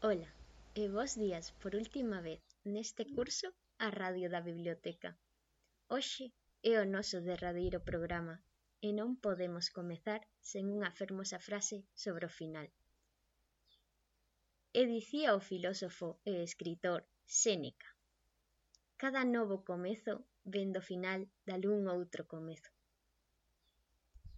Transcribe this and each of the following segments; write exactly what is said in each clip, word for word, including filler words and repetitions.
Ola, e bos días por última vez neste curso a Radio da Biblioteca. Hoxe é o noso derradeiro programa e non podemos comezar sen unha fermosa frase sobre o final. E dicía o filósofo e escritor Séneca: cada novo comezo vén do final dalgún outro comezo.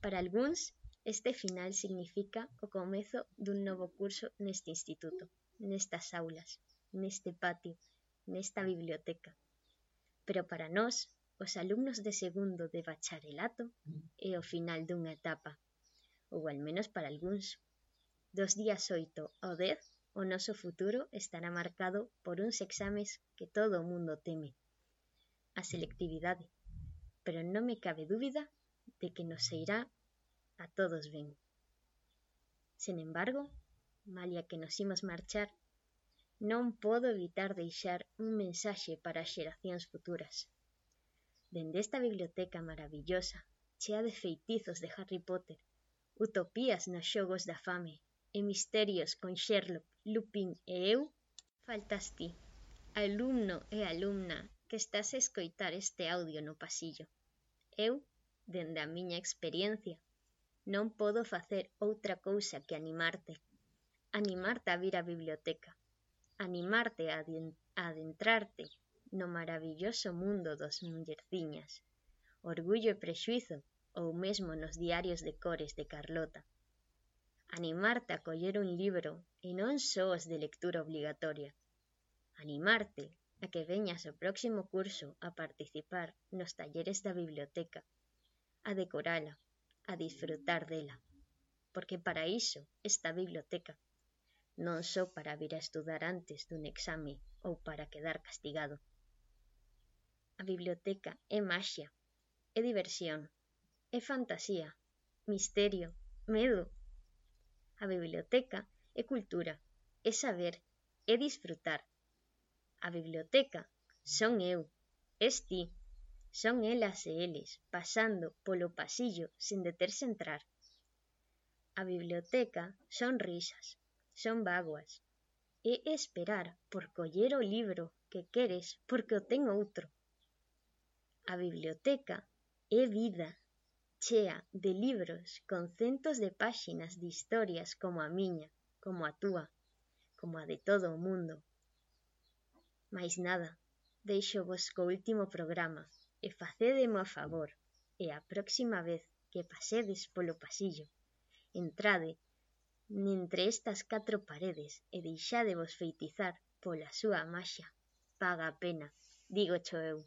Para algúns, este final significa o comezo dun novo curso neste instituto, nestas aulas, neste patio, nesta biblioteca. Pero para nós, os alumnos de segundo de bacharelato, é o final dunha etapa, ou al menos para algúns. Dos días oito ao dez, o noso futuro estará marcado por uns exames que todo o mundo teme, a selectividade, pero non me cabe dúbida de que nos irá a todos ben. Sen embargo, malia que nos imos marchar, non podo evitar deixar un mensaxe para as xeracións futuras. Dende esta biblioteca maravillosa, chea de feitizos de Harry Potter, utopías nos xogos da fame e misterios con Sherlock, Lupin e eu, faltas ti, alumno e alumna que estás a escoitar este audio no pasillo. Eu, dende a miña experiencia, non podo facer outra cousa que animarte, animarte a vir á biblioteca, animarte a adentrarte no maravilloso mundo dos mullerciñas, Orgullo e Prexuízo ou mesmo nos diarios de cores de Carlota. Animarte a coller un libro e non só os de lectura obligatoria. Animarte a que veñas ao próximo curso a participar nos talleres da biblioteca, a decorala, a disfrutar dela, porque para iso esta biblioteca, non só para vir a estudar antes dun exame ou para quedar castigado. A biblioteca é maxia, é diversión, é fantasía, misterio, medo. A biblioteca é cultura, é saber, é disfrutar. A biblioteca son eu, es ti, son elas e eles pasando polo pasillo sen deterse entrar. A biblioteca son risas, son bágoas, é esperar por coller o libro que queres porque o ten outro. A biblioteca é vida, chea de libros con centos de páxinas de historias como a miña, como a túa, como a de todo o mundo. Mais nada, deixo vos co último programa e facédemo a favor, e a próxima vez que pasedes polo pasillo, entrade entre estas catro paredes e deixádevos feitizar pola súa maxia. Paga a pena, dígocho eu.